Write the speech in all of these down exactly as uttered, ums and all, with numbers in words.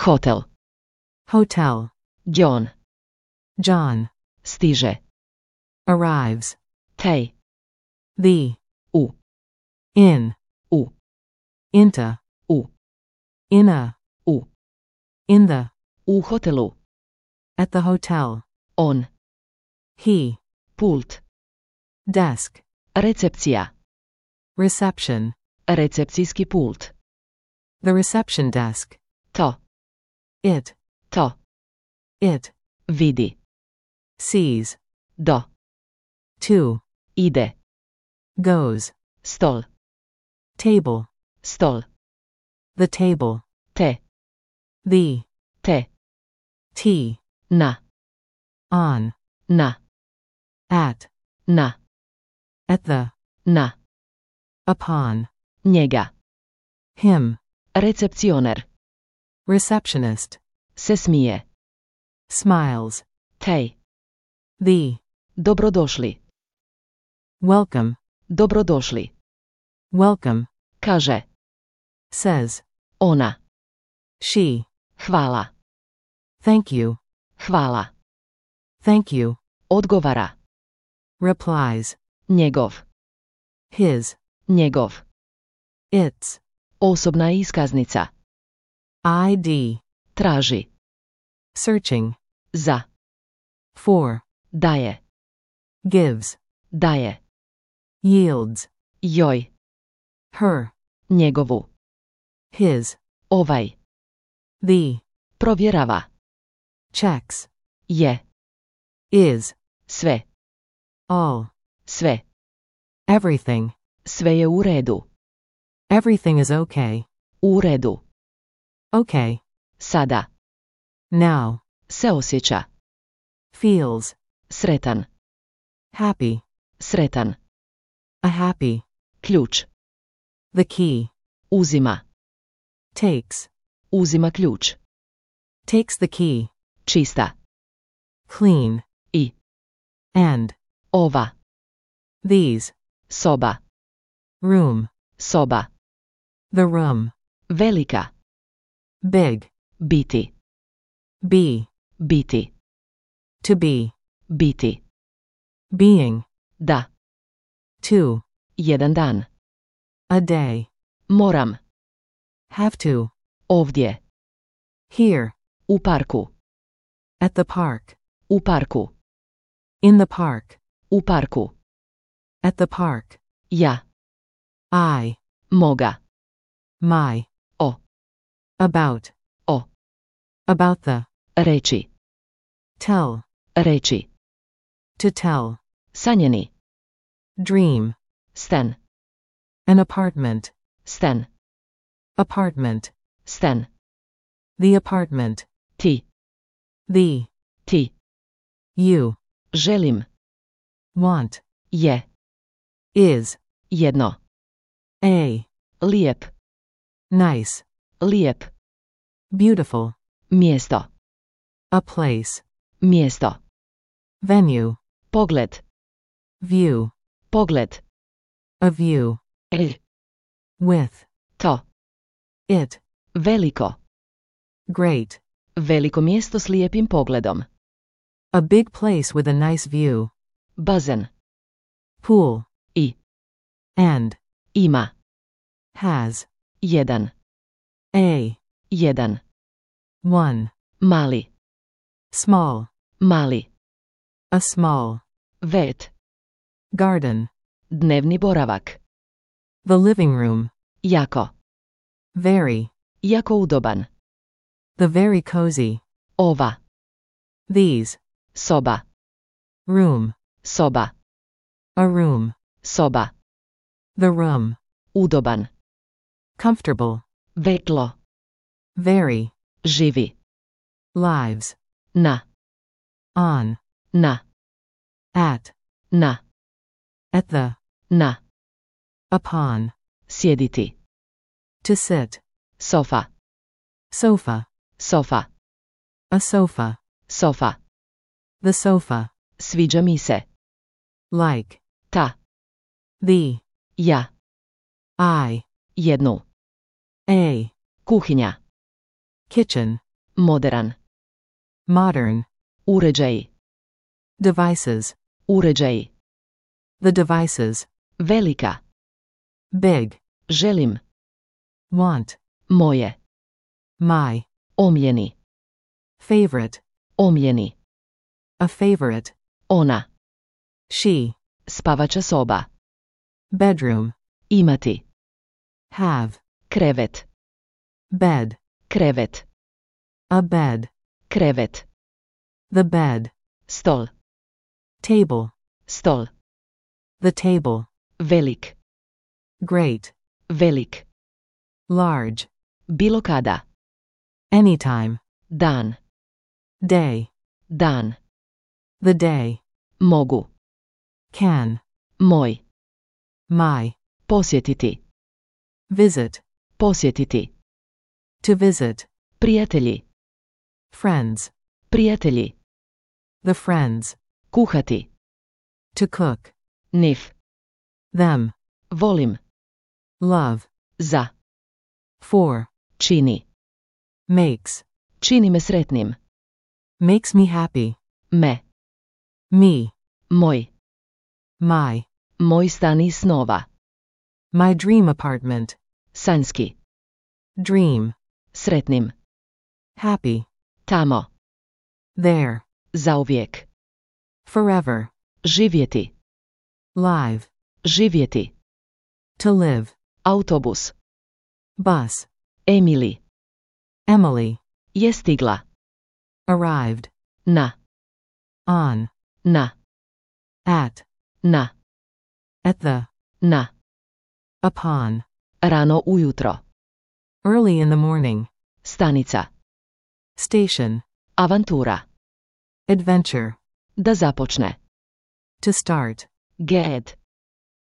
Hotel. Hotel. John. John. Stiže. Arrives. Tej. The. U. In. U. Into. U. In a. U. In the. U hotelu. At the hotel. On. He. Pult. Desk. Recepcija. Reception. Recepcijski pult. The reception desk. To. It. To. It. Vidi. Sees. Do. To. Ide. Goes. Stol. Table. Stol. The table. Te. The. Te. T. Na. On. Na. At. Na. At the. Na. Upon. Njega. Him. Recepcioner. Receptionist. Se smije. Smiles. Tej. The. Dobrodošli. Welcome. Dobrodošli. Welcome. Kaže. Says. Ona. She. Hvala. Thank you. Hvala. Thank you. Odgovara. Replies. Njegov. His. Njegov. Its. Osobna iskaznica. I D. Traži. Searching. Za. For. Daje. Gives. Daje. Yields. Joj. Her. Njegovu. His. Ovaj. The. Provjerava. Checks. Je. Is. Sve. All. Sve. Everything. Sve je u redu. Everything is okay. U redu. Okay. Sada. Now. Se osjeća. Feels. Sretan. Happy. Sretan. A happy. Ključ. The key. Uzima. Takes. Uzima ključ. Takes the key. Čista. Clean. I. And. Ova. These. Soba. Room. Soba. The room. Velika. Big. Biti. Be. Biti. To be. Biti. Being. Da. To. Jedan dan. A day. Moram. Have to. Ovdje. Here. U parku. At the park. U parku. In the park. U parku. At the park. Ja. I. Moga. My. O. About. O. About the. Reći. Tell. Reći. To tell. Sanjeni. Dream. Stan. An apartment. Stan. Apartment. Stan. The apartment. Ti. The. Ti. You. Želim. Want. Je. Is. Jedno. A. Lijep. Nice. Lijep. Beautiful. Mjesto. A place. Mjesto. Venue. Pogled. View. Pogled. A view. E. With. To. It. Veliko. Great. Veliko mjesto s lijepim pogledom. A big place with a nice view. Bazen. Pool. I. And. Ima. Has. Jedan. A. Jedan. One. Mali. Small. Mali. A small. Vet. Garden. Dnevni boravak. The living room. Jako. Very. Jako udoban. The very cozy. Ova. These. Soba. Room. Soba. A room. Soba. The room. Udoban. Comfortable. Vetlo. Very. Živi. Lives. Na. On. Na. At. Na. At the. Na. Upon. Sjediti. To sit. Sofa. Sofa. Sofa. A sofa. Sofa. The sofa. Sviđa mi se. Like. Ta. The. Ja. I. Jednu. A. Kuhinja. Kitchen. Moderan. modern, Uređaji. devices, Uređaji. the devices, Velika. big, Želim. want, Moje. my, Omljeni. favorite, Omljeni. a favorite, Ona. she, Spavača soba. bedroom, Imati. have, Krevet. bed, Krevet. a bed, Krevet. the bed, Stol. table, Stol. the table, Velik. great, Velik. large, Bilo kada. anytime, Dan. day, Dan. the day, Mogu. can, Moj. my, Posjetiti. visit, Posjetiti. to visit, Prijatelji. friends, Prijatelji. the friends, Kuhati. to cook, Nif. them, Volim. love, Za. for, Čini. makes, Čini me sretnim. makes me happy, Me. me, Moj. my, Moj stan iz snova. my dream apartment, Sanjski. dream, Sretnim. happy, Tamo. there, Zauvijek. forever, Živjeti. live, Živjeti. to live, Autobus. bus, Emily. Emily, Je stigla. arrived, Na. on, Na. at, Na. at the, Na. upon, Rano ujutro. early in the morning, Stanica. station, Avantura. adventure, Da započne. to start, Ged.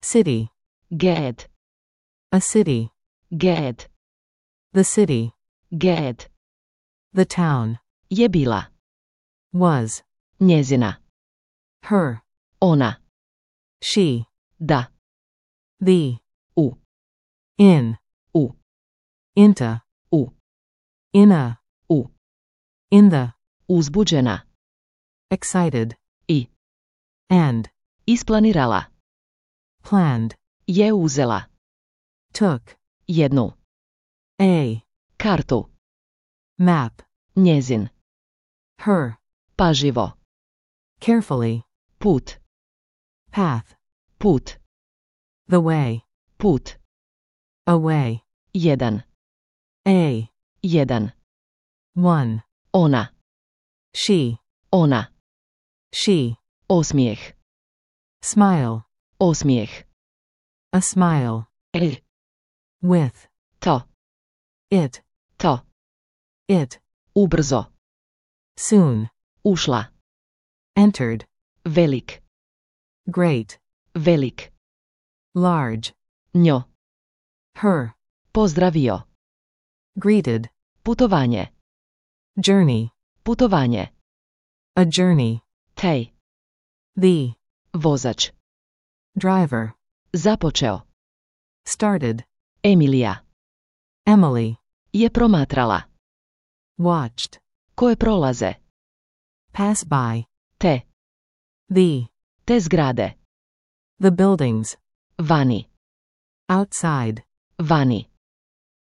city, Ged. a city, Ged. the city, Ged. the town, Je bila. was, Njezina. her, Ona. she, Da. the, U. in, U. into, U. in a, U. in the, Uzbuđena. excited, I. and, Isplanirala. planned, Je uzela. took, Jednu. a, Kartu. map, Njezin. her, Paživo. carefully, Put. path, Put. the way, Put. away, Jedan. a, Jedan. one, Ona. she, Ona. she, Osmijeh. smile, Osmijeh. a smile, E. with, To. it, To. it, Ubrzo. soon, Ušla. entered, Velik. great, Velik. large, Njo. her, Pozdravio. greeted, Putovanje. journey, Putovanje. a journey, Tej. the, Vozač. driver, Započeo. started, Emilija. Emily, Je promatrala. watched, Koje prolaze. pass by, Te. the, Te zgrade. the buildings, Vani. outside, Vani.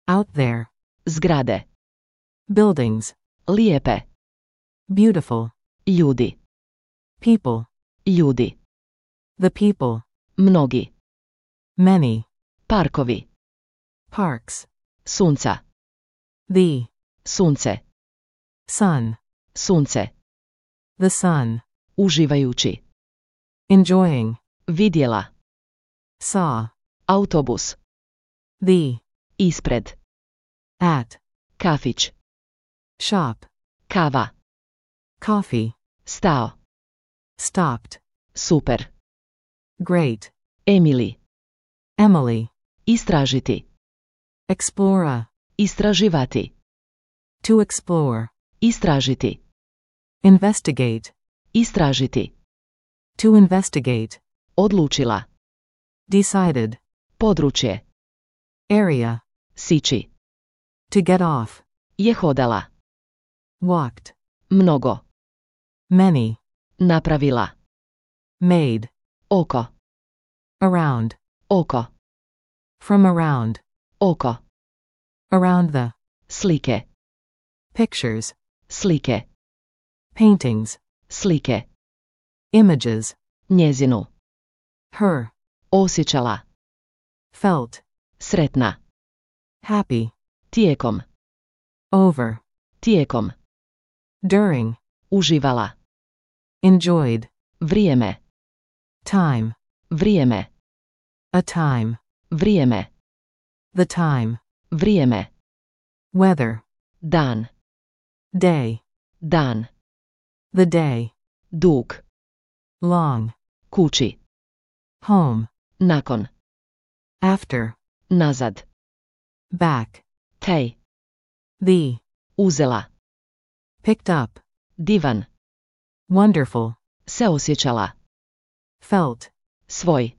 out there, Zgrade. buildings, Lijepe. beautiful, Ljudi. people, Ljudi. the people, Mnogi. many, Parkovi. parks, Sunca. the, Sunce. sun, Sunce. the sun, Uživajući. enjoying, Vidjela. saw, Autobus. the, Ispred. at, Kafić. shop, Kava. coffee, Stao. stopped, Super. great, Emily. Emily, Istražiti. explore, Istraživati. to explore, Istražiti. investigate, Istražiti. to investigate, Odlučila. decided, Područje. area, Sići. to get off, Je hodala. walked, Mnogo. many, Napravila. made, Oko. around, Oko. from around, Oko. around the, Slike. pictures, Slike. paintings, Slike. images, Njezinu. her, Osjećala. felt, Sretna. happy, Tijekom. over, Tijekom. during, Uživala. enjoyed, Vrijeme. time, Vrijeme. a time, Vrijeme. the time, Vrijeme. weather, Dan. day, Dan. the day, Dug. long, Kući. home, Nakon. after, Nazad. back, Tej. the, Uzela. picked up, Divan. wonderful, Se osjećala. felt, Svoj.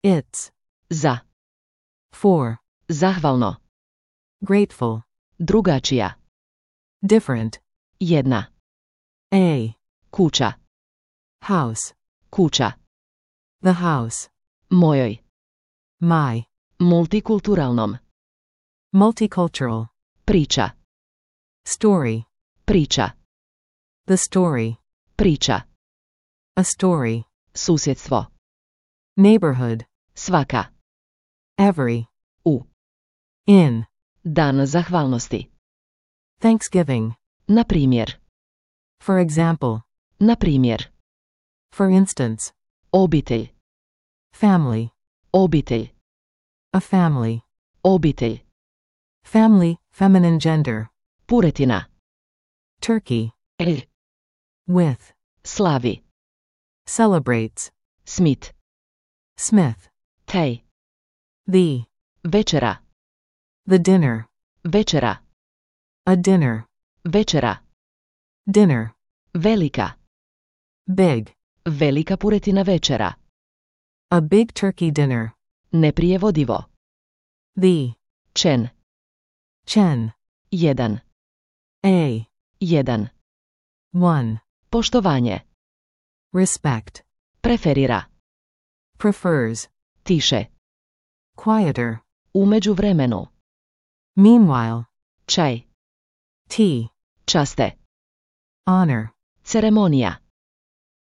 its, Za. for, Zahvalno. grateful, Drugačija. different, Jedna. a, Kuća. house, Kuća. the house, Mojoj. my, Multikulturalnom. multicultural, Priča. story, Priča. the story, Priča. a story, Susjedstvo. neighborhood, Svaka. every, U. in, Dan zahvalnosti. Thanksgiving, Na primjer. for example, Na primjer. for instance, Obitelj. family, Obitelj. a family, Obitelj. family, feminine gender, Puretina. turkey, El. with, Slavi. celebrates, Smith. Smith, Tej. the, Večera. the dinner, Večera. a dinner, Večera. dinner, Velika. big, Velika puretina večera. a big turkey dinner, Neprijevodivo. the, Čen. chen, Jedan. a, Jedan. one, Poštovanje. respect, Preferira. prefers, Tiše. quieter, U međuvremenu. meanwhile, Čaj. tea, Časte. honor, Ceremonija.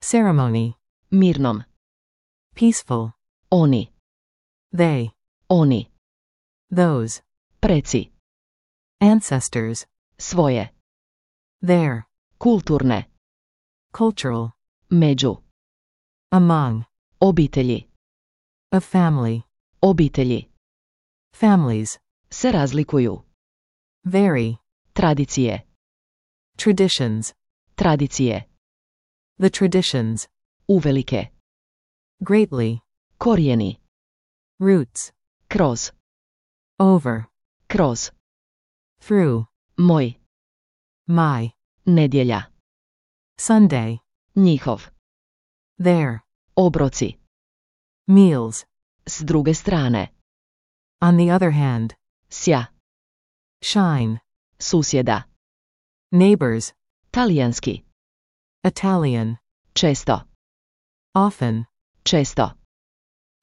ceremony, Mirnom. peaceful, Oni. they, Oni. those, Preci. ancestors, Svoje. their, Kulturne. cultural, Među. among, Obitelji. a family, Obitelji. families, Se razlikuju. vary, Tradicije. traditions, Tradicije. the traditions, Uvelike. greatly, Korijeni. roots, Kroz. over, Kroz. through, Moj. my, Nedjelja. Sunday, Njihov. their, Obroci. meals, S druge strane. on the other hand, Sja. shine, Susjeda. neighbors, Talijanski. Italian, Često. often, Često.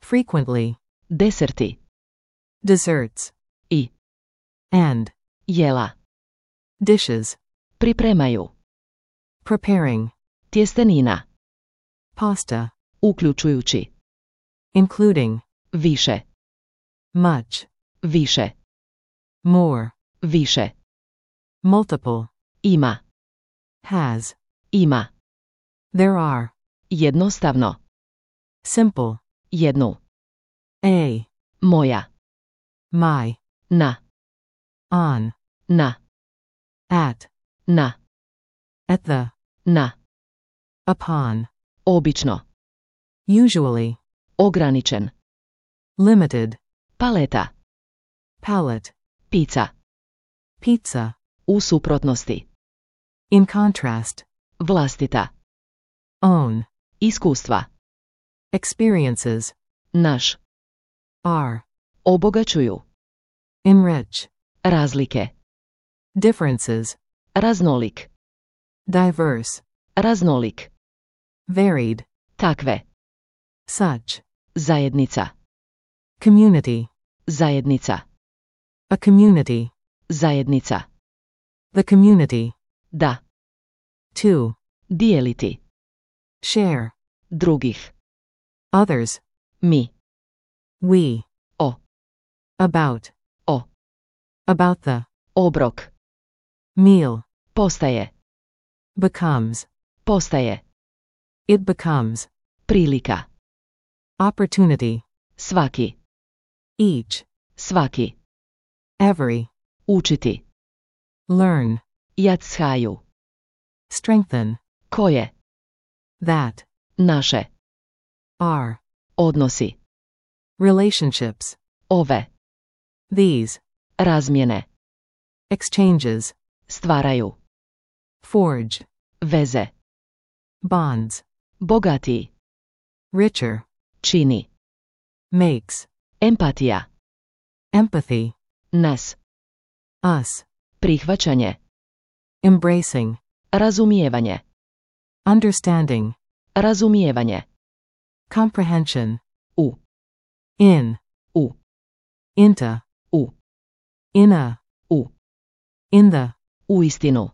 frequently, Deserti. desserts, I. and, Jela. dishes, Pripremaju. preparing, Tjestenina. pasta, Uključujući. including, Više. much, Više. more, Više. multiple, Ima. has, Ima. there are, Jednostavno. simple, Jednu. a, Moja. my, Na. on, Na. at, Na. at the, Na. upon, Obično. usually, Ograničen. limited, Paleta. palette, Pizza. pizza, U suprotnosti. in contrast, Vlastita. own, Iskustva. experiences, Naš. are, Obogaćuju. enrich, Razlike. differences, Raznolik. diverse, Raznolik. varied, Takve. such, Zajednica. community, Zajednica. a community, Zajednica. the community, Da. to, Dijeliti. share, Drugih. others, Mi. we, O. about, O. about the, Obrok. meal, Postaje. becomes, Postaje. it becomes, Prilika. opportunity, Svaki. each, Svaki. every, Učiti. learn, Jackaju. strengthen, Koje. that, Naše. are, Odnosi. relationships, Ove. these, Razmjene. exchanges, Stvaraju. forge, Veze. bonds, Bogatiji. richer, Čini. makes, Empatija. empathy, Nas. us, Prihvaćanje. embracing, Razumijevanje. understanding, Razumijevanje. comprehension, U. in, U. into, U. in a, U. in the, Uistinu.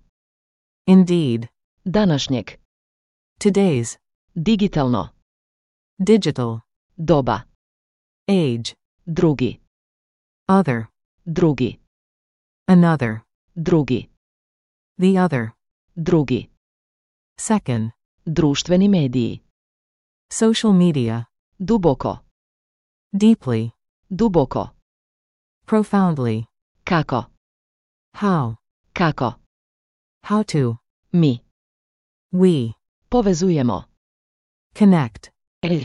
indeed, Današnjeg. today's, Digitalno. digital, Doba. age, Drugi. other, Drugi. another, Drugi. the other, Drugi. second, Društveni mediji. social media, Duboko. deeply, Duboko. profoundly, Kako. how, Kako. how to, Mi. we, Povezujemo. connect, El.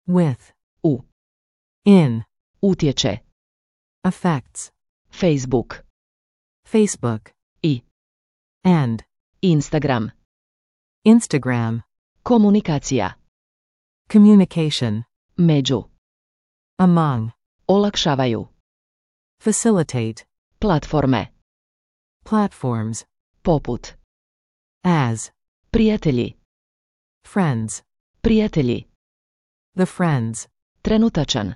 with, U. in, Utječe. affects, Facebook. Facebook, I. and, Instagram. Instagram, Komunikacija. communication, Među. among, Olakšavaju. facilitate, Platforme. platforms, Poput. as, Prijatelji. friends, Prijatelji. the friends, Trenutačan.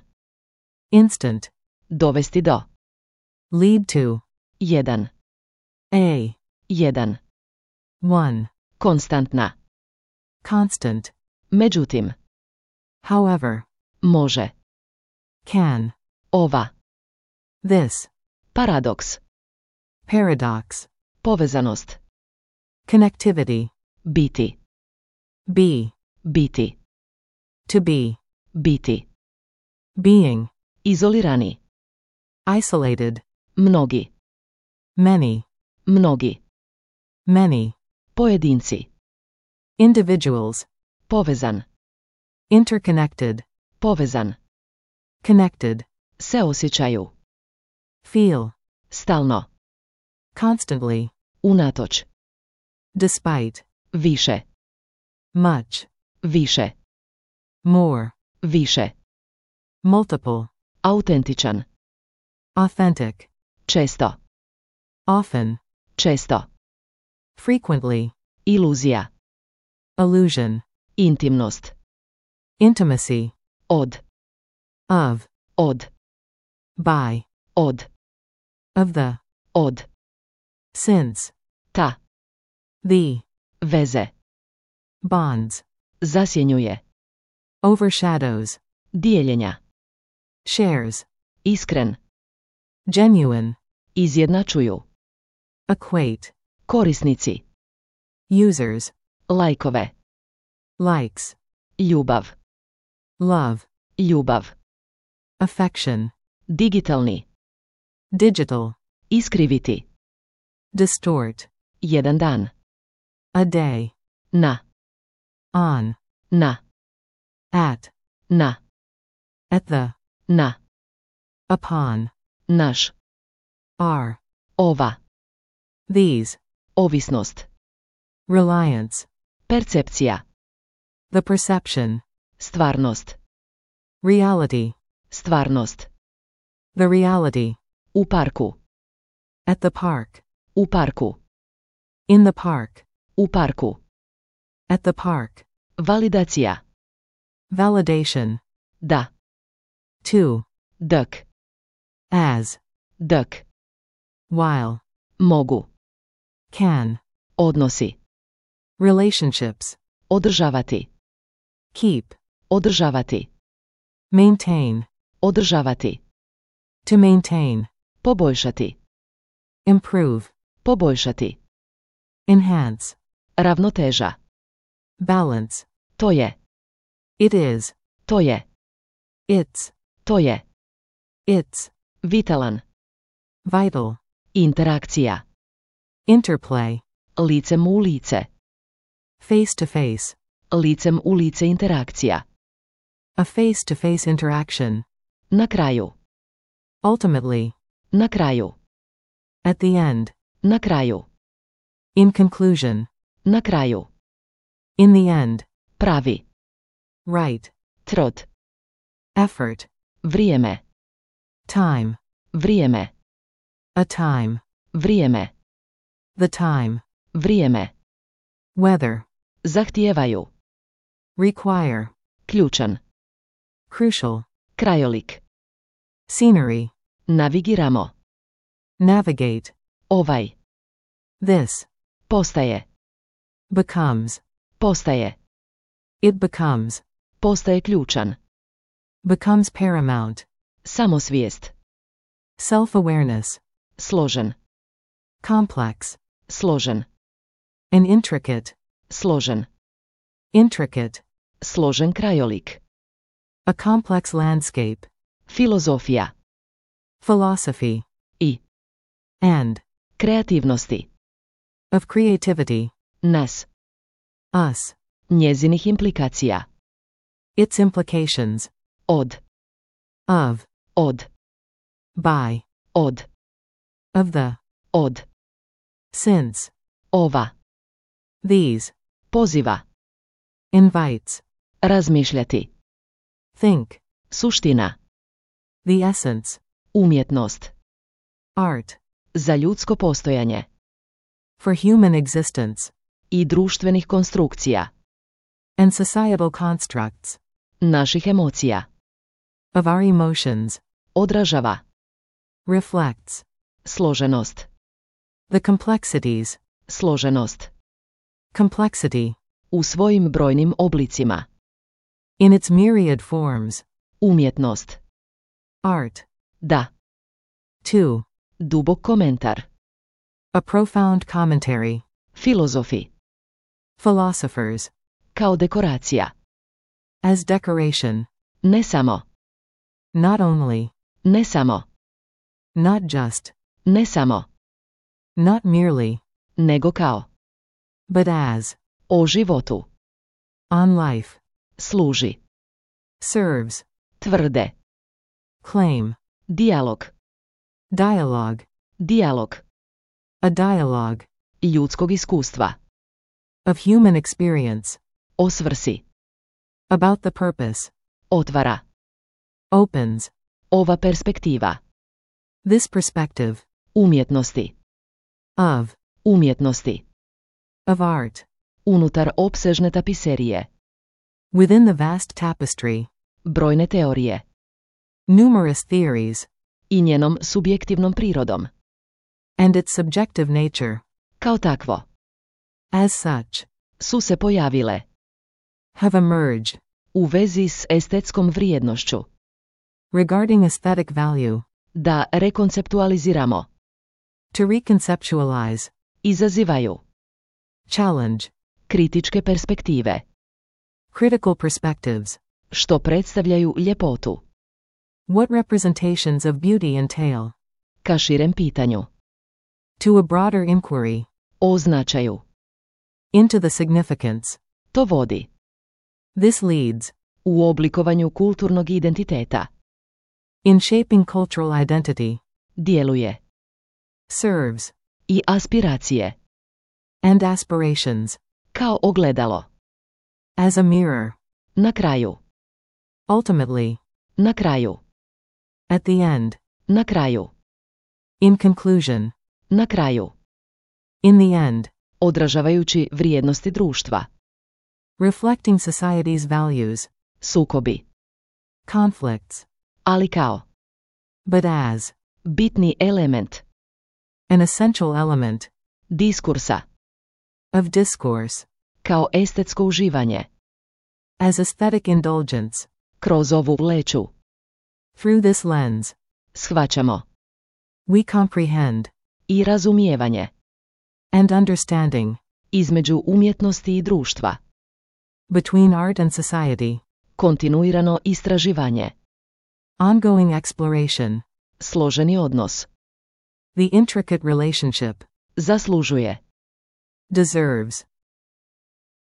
instant, Dovesti do. lead to, Jedan. a, Jedan. one, Konstantna. constant, Međutim. however, Može. can, Ova. this, Paradoks. paradox, Povezanost. connectivity, Biti. be, Biti. to be, Biti. being, Izolirani. isolated, Mnogi. many, Mnogi. many, Pojedinci. individuals, Povezan. interconnected, Povezan. connected, Se osjećaju. feel, Stalno. constantly, Unatoč. despite, Više. much, Više. more, Više. multiple, Autentičan. authentic, Često. often, Često. frequently, Iluzija. illusion, Intimnost. intimacy, Od. of, Od. by, Od. of the, Od. since, Ta. the, Veze. bonds, Zasjenjuje. overshadows, Dijeljenja. shares, Iskren. genuine, Izjednačuju. equate, Korisnici. users, Lajkove. likes, Ljubav. love, Ljubav. affection, Digitalni. digital, Iskriviti. distort, Jedan dan. a day, Na. on, Na. at, Na. at the, Na. upon, Naš. are, Ova. these, Ovisnost. reliance, Percepcija. the perception, Stvarnost. reality, Stvarnost. the reality, U parku. at the park, U parku. In the park. U parku. At the park. Validacija. Validation. Da. To. Dok. As. Dok. While. Mogu. Can. Odnosi. Relationships. Održavati. Keep. Održavati. Maintain. Održavati. To maintain. Poboljšati. Improve. Poboljšati. Enhance. Ravnoteža. Balance. To je. It is. To je. It's. To je. It's. Vitalan. Vital. Interakcija. Interplay. Licem u lice. Face to face. Licem u lice interakcija. A face to face interaction. Na kraju. Ultimately. Na kraju. At the end. Na kraju. In conclusion. Na kraju. In the end. Pravi. Right. Trud. Effort. Vrijeme. Time. Vrijeme. A time. Vrijeme. The time. Vrijeme. Weather. Zahtijevaju. Require. Ključan. Crucial. Krajolik. Scenery. Navigiramo. Navigate. Ovaj. This. Postaje. Becomes. Postaje. It becomes. Postaje ključan. Becomes paramount. Samosvijest. Self-awareness. Složen. Complex. Složen. An intricate. Složen. Intricate. Složen krajolik. A complex landscape. Filozofija. Philosophy. I. And. Kreativnosti. Of creativity. Nas. Us. Njezinih implikacija. Its implications. Od. Of. Od. By. Od. Of the. Od. Since. Ova. These. Poziva. Invites. Razmišljati. Think. Suština. The essence. Umjetnost. Art. Za ljudsko postojanje. For human existence. I društvenih konstrukcija. And societal constructs. Naših emocija. Of our emotions. Odražava. Reflects. Složenost. The complexities. Složenost. Complexity. U svojim brojnim oblicima. In its myriad forms. Umjetnost. Art. Da. To. Dubok komentar. A profound commentary. Filozofi. Philosophers. Kao dekoracija. As decoration. Ne samo. Not only. Ne samo. Not just. Ne samo. Not merely. Nego kao. But as. O životu. On life. Služi. Serves. Tvrde. Claim. Dijalog. Dialogue. Dijalog. A dialogue. Ljudskog iskustva. Of human experience. O svrsi. About the purpose. Otvara. Opens. Ova perspektiva. This perspective. Umjetnosti. Of. Umjetnosti. Of art. Unutar opsežne tapiserije. Within the vast tapestry. Brojne teorije. Numerous theories. I njenom subjektivnom prirodom. And its subjective nature. Kao takvo. As such. Su se pojavile. Have emerged. U vezi s estetskom vrijednošću. Regarding aesthetic value. Da rekonceptualiziramo. To reconceptualize. Izazivaju. Challenge. Kritičke perspektive. Critical perspectives. Što predstavljaju ljepotu. What representations of beauty entail? Ka širem pitanju. To a broader inquiry. O značaju. Into the significance. To vodi. This leads. U oblikovanju kulturnog identiteta. In shaping cultural identity. Djeluje. Serves. I aspiracije. And aspirations. Kao ogledalo. As a mirror. Na kraju. Ultimately. Na kraju. At the end. Na kraju. In conclusion. Na kraju. In the end. odražavajući vrijednosti društva. reflecting society's values, Sukobi. conflicts, Ali kao. but as, Bitni element. an essential element, Diskursa. of discourse, Kao estetsko uživanje. as aesthetic indulgence, Kroz ovu leću. through this lens, Shvaćamo. we comprehend, I razumijevanje. and understanding, Između umjetnosti i društva. between art and society, Kontinuirano istraživanje. ongoing exploration, Složeni odnos. the intricate relationship, Zaslužuje. deserves,